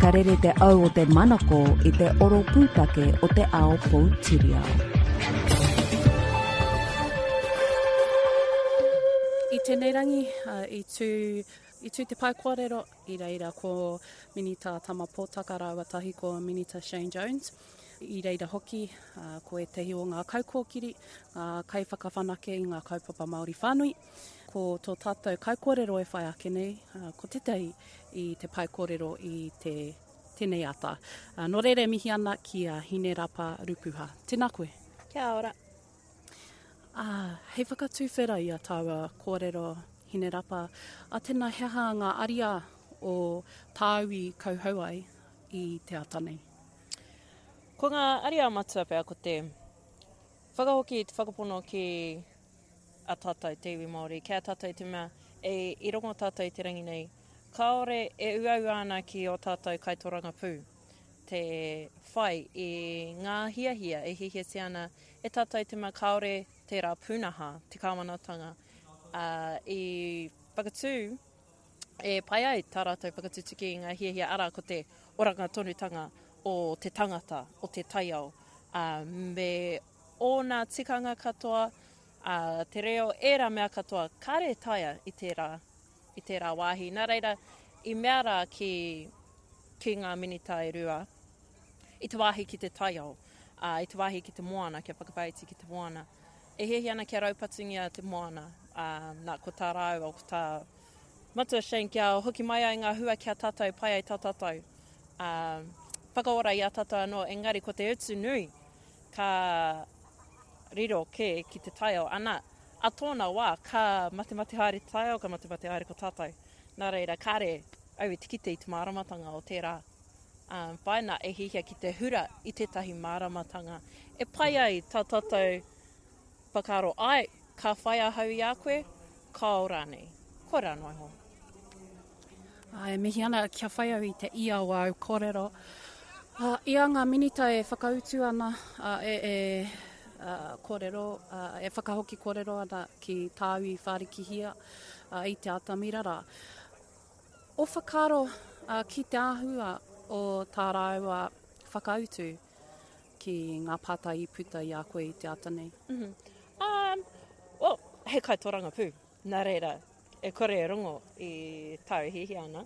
Ka rere te au o te manako i te oro pūtake o te ao poutiriao. I tēnei rangi, i tū, i tū te pae kōrero, i reira ko Minita Tama Potaka rāua tahi ko Minita Shane Jones. I reira hoki ko ētahi o ngā kaikōkiri, ngā kaiwhakawhanake i ngā kaupapa Māori whānui. Ko tō tātou kaikōrero e whai ake nei, ko tētahi i te pae kōrero i te tēnei ata. Nō reira e mihi ana ki a Hinerapa Rupuha. Tēnā koe. Kia ora. Ā, hei whakatuwhera i a tāua kōrero Hinerapa, ā tēnā he aha ngā ariā o tāu i kauhau ai i te ata nei? Ko ngā ariā matua pea ko te whakahoki i te whakapono ki a tātou te iwi Māori, ki a tātou te mea e, i rongo tātou i te rangi nei, kāore e uaua ana ki ō tātou kaitorangapū te whai i ngā hiahia e hiahiatia ana e tātou te mea kāore tērā pūnaha, te kāwanatanga, ā, i whakatū e pai ai tā rātou whakatutuki i ngā hiahia, arā, ko te oranga tonutanga o te tangata, o te taiao, ā, me ōna tikanga katoa, ā, te reo, ērā mea katoa, kāre e taea i tērā, i tērā wāhi. Nā reira, i mea rā ki, ki ngā minita e rua, i te wāhi ki te taiao, ā, i te wāhi ki te moana, kia whakawhāiti ki te moana. E hiahia ana kia raupatungia te moana, ā, nā, ko tā rāua, ko tā Matua Shane kia hoki mai ai ngā hua ki a tātou, pai ai tā tātou, ā, whakaora i a tātou anō, engari ko te utu nui ka riro kē ki te taiao, ana, a tōna wā, ka matemate haere te taiao, ka matemate haere ko tātou. Nā reira, kāre au i te kite i te māramatanga o tērā ā, whāina e hiahia ki te hura i tētahi māramatanga e pai ai tā tātou whakaaro, āe, ka whai ahau i a koe, kāo rānei. Koirā noa iho. Ā, e mihi ana kia whai au i te ia o āu kōrero. Ā, i a ngā minita e whakautu ana, ā, e, e, ā, kōrero, ā, e whakahoki kōrero ana ki tāu i whārikihia, ā, i te atamira rā. Ō whakaaro, ā, ki te āhua o tā rāua whakautu ki ngā pātai i puta i a koe i te ata nei? Mm -hmm. Um, well, he kaitorangapū, nā reira, e kore e rongo i tāu hiahia ana,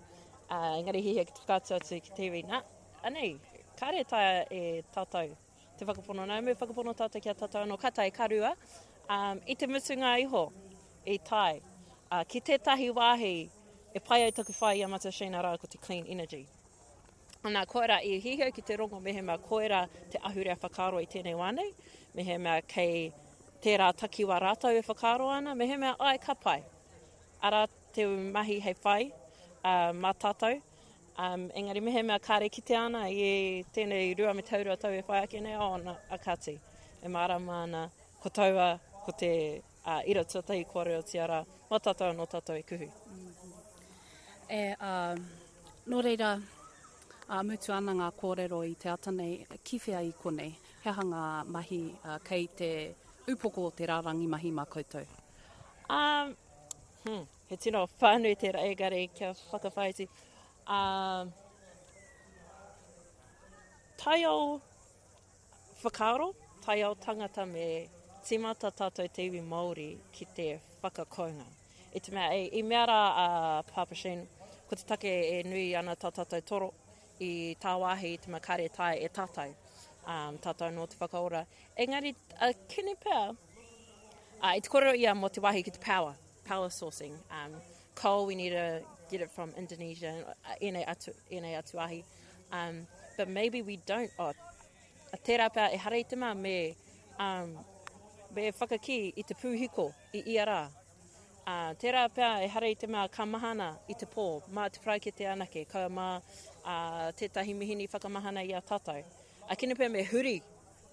uh, engari hiahia ki te whakaatu atu ki te iwi, nā, anei, kāre taea e tātou te whakapono, nā, me whakapono tātou ki a tātou anō, ka tae, ka rua, um, i te mutunga iho, i tae, uh, ki tētahi wāhi e pai ai taku whai i a Matua Shane arā ko te clean energy. Nā, koirā i hiahia ki te rongo mehemea koirā te ahurea whakaaro i tēnei wā nei, mehemea kei tērā takiwā rātou e whakaaro ana, mehemea āe ka pai. Arā te mahi hei whai uh, mā tātou. Um, engari mehemea kāre kitea ana i tēnei 2.5 tau e whai ake nei, oh, na, a kāti. E mārama ana ko taua, ko te uh, ira tuatahi kōrerotia rā, mā tātou anō tātou e kuhu. E, uh, Nō reira, ā, mutu ana ngā kōrero i te ata nei, ki whea i konei? He aha ngā mahi kei te upoko o te rārangi mahi mā koutou? Um, hmm, he tino whānui tērā, engari kia whakawhāiti. Um, taiao Whakaaro, taiao tangata me tīmata tātou te iwi Māori ki te whakakounga. I te mea, i mea rā a Pāpā Shane, ko te take e nui ana tā tātou toro i tāwāhi i te mea kāre e taea e tātou, um, tātou anō te whakaora. Engari, a kene pea, uh, i te kōrero ia mō te wāhi ki te power, power sourcing. Um, coal, we need to get it from Indonesia, ēnei atu, ēnei atu ahi. Um, but maybe we don't, oh, tērā pea ehara i te mea me, um, me whakakī i te pūhiko i ia rā. Uh, tērā pea ehara i te mea ka mahana i te pō, mā te paraikete anake, ka mā uh, tētahi mihini whakamahana i a tātou. A kene pea me huri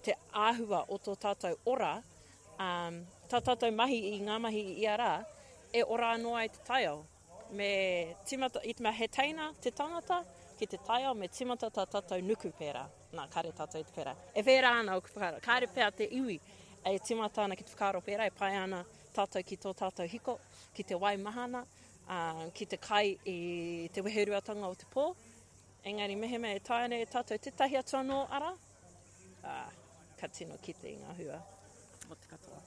te āhua o tō tātou ora, um, tā tātou mahi i ngā mahi i ia rā, e ora anō ai te taiao. Me tīmata, i te mea he teina te tangata ki te taiao, me tīmata tā tātou nuku pērā. Nā, kāre tātou i te pērā. E pērā ana ōku whakaaro. Kāre pea te iwi e tīmata ana ki te whakaaro pērā, e pai ana tātou ki tō tātou hiko, ki te wai mahana, ā, ki te kai i te weheruatanga o te pō. Engari mehemea e taea ana e tātou tētahi atu anō ara, ā, ka tino kite i ngā hua o te katoa.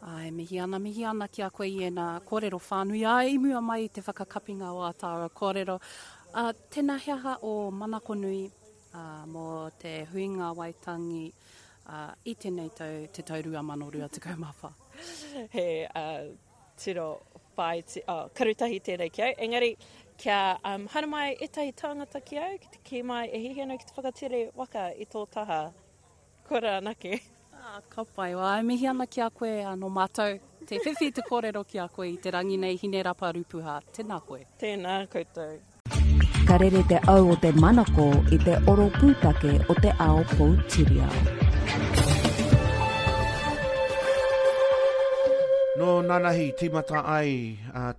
Āe, mihi ana, mihi ana ki a koe i ēnā kōrero whānui, āe, i mua mai i te whakakapinga o ā tāua kōrero. Ā, tēnā he aha ō manako nui, ā, mō te huinga Waitangi, ā, i tēnei tau, te tau 2024? He, ā, tino whāiti, oh, karutahi tēnei ki au, engari, kia, um, haere mai ētahi tāngata ki au, ki te kī mai e hiahia ana ki te whakatere waka i tō taha. Kora anake. Ah, ka pai. Wā, e mihi ana ki a koe, nō mātou te whiwhi te kōrero ki a koe i te rangi nei, Hinerapa Rupuha. Tēnā koe. Tēnā koutou. Ka rere te au o te manako i te oro pūtake o te ao poutiriao. Nō nanahi tīmata ai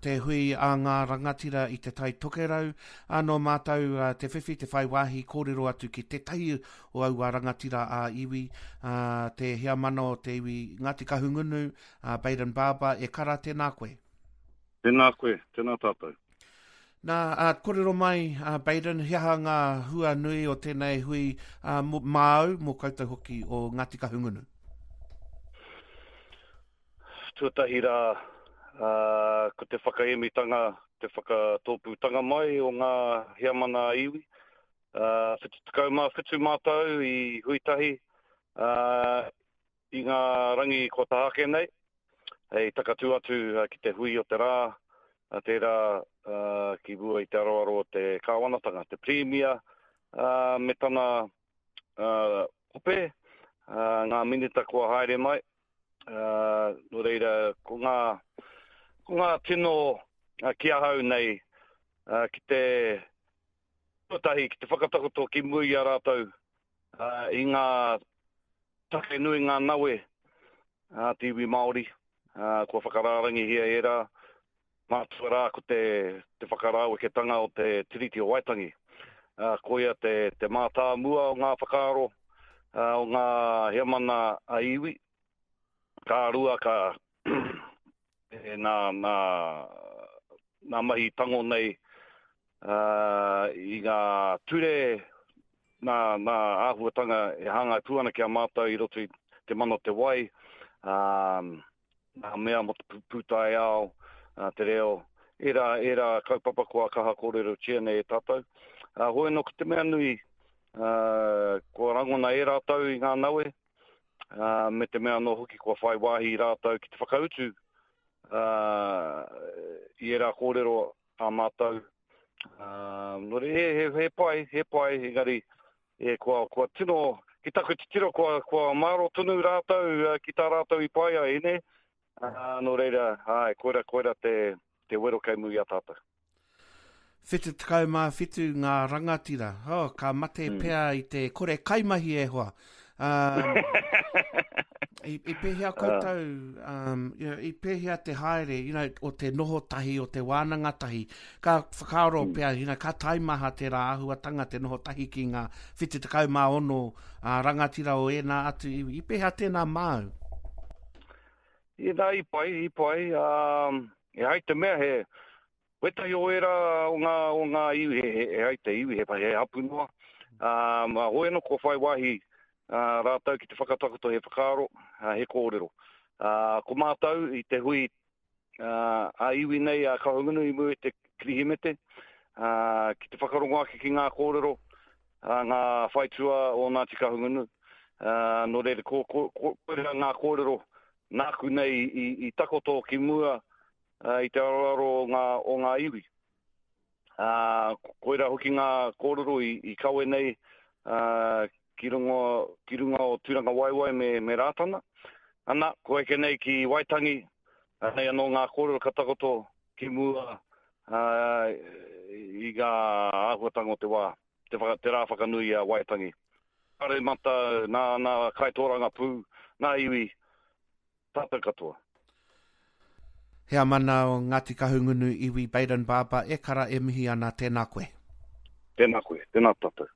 te hui a ngā rangatira i Te Tai Tokerau, ā, nō mātou te whiwhi te whai wāhi kōrero atu ki tētahi o aua rangatira ā-iwi, ā, te heamana o te iwi Ngāti Kahungunu, a Bayden Barber, e kara, tēnā koe. Tēnā koe, tēnā tātou. Nā, ā, kōrero mai, a Bayden, he aha ngā hua nui o tēnei hui, ā, mō, māu, mō koutou hoki o Ngāti Kahungunu? Tuatahi rā, ā, ko te whakaemitanga, te whakatōpūtanga mai o ngā heamana ā-iwi, 77 mātou i hui tahi i ngā rangi kua taha ake nei, hei takatū atu ki te hui o te rā, tērā ki mua i te aroaro o te kāwanatanga, te Pirimia me tana ope, ngā minita kua haere mai. Nō reira, ko ngā, ko ngā tino ki ahau nei ki te Tuatahi, ki te whakatakoto ki mua i a rātou i ngā take nui, ngā nawe a te iwi Māori, kua whakarārangihia ērā, mātua rā ko te, te whakarāweketanga o te Tiriti o Waitangi. Koia te, te mātāmua o ngā whakaaro o ngā heamana a iwi. Ka rua, ka nā, nā, nā mahi tango nei i ngā ture, nā, nā āhuatanga e hāngai pū ana ki a mātou i roto i te mana o te wai, ā, ngā mea mō te pūtaiao, te reo, ērā, ērā kaupapa kua kaha kōrerotia nei e tātou. Ā, hoi anō ko te mea nui, ā, kua rangona e rātou i ngā nawe, ā, me te mea anō hoki kua whai wāhi rātou ki te whakautu, ā, i ērā kōrero a mātou. Ā, nō reira, he, he, he pai, he pai, engari, e, kua, kua tino, ki taku titiro, kua, kua mārō tonu rātou ki tā rātou i pai ai, nē? Ā, nō reira, āe, koira, koira te, te wero kei muri i a tātou. 77 ngā rangatira. Oh, ka mate mm. pea i te kore kaimahi e hoa. Um, i, i pēhea koutou, um, you know, i pēhea te haere, you know, o te noho tahi, o te wānanga tahi, ka whakaaro mm. pea, you know, ka taimaha tērā āhuatanga te noho tahi ki ngā 76 uh, rangatira o ēnā atu iwi. I pēhea tēnā māu? I nā, i pai, i pai. Um, e ai te mea he, Wētahi o ērā o ngā, o ngā iwi, he, he, he ai te iwi, he, he hapu noa. Ā, hoi anō kua whai wāhi ā, rātou ki te whakatakoto he whakaaro, ā, he kōrero. Ā, ko mātou i te hui ā, ā-iwi nei a Kahungunu i mua i te Kirihimete, ā, ki te whakarongo ake ki ngā kōrero a ngā whaitua o Ngāti Kahungunu. Ā, nō reira, ko, ko, ko, koirā ngā kōrero nāku nei i, i takoto ki mua i te aroaro o ngā, o ngā iwi. Ā, koirā hoki ngā kōrero i, i kawe nei ā, ki, runga, ki runga o Tūrangawaewae me, me Rātana. Ana, kua eke nei ki Waitangi, anei anō ngā kōrero ka takoto ki mua ā, i ngā āhuatanga o te wā, te, whaka, te rā whakanui a Waitangi. Paremata, nā, nā kaitōrangapū, nā iwi, Tātou katoa. Heamana o Ngāti Kahungunu Iwi Bayden Barber e kara e mihi ana tēnā koe. Tēnā koe, tēnā tātou.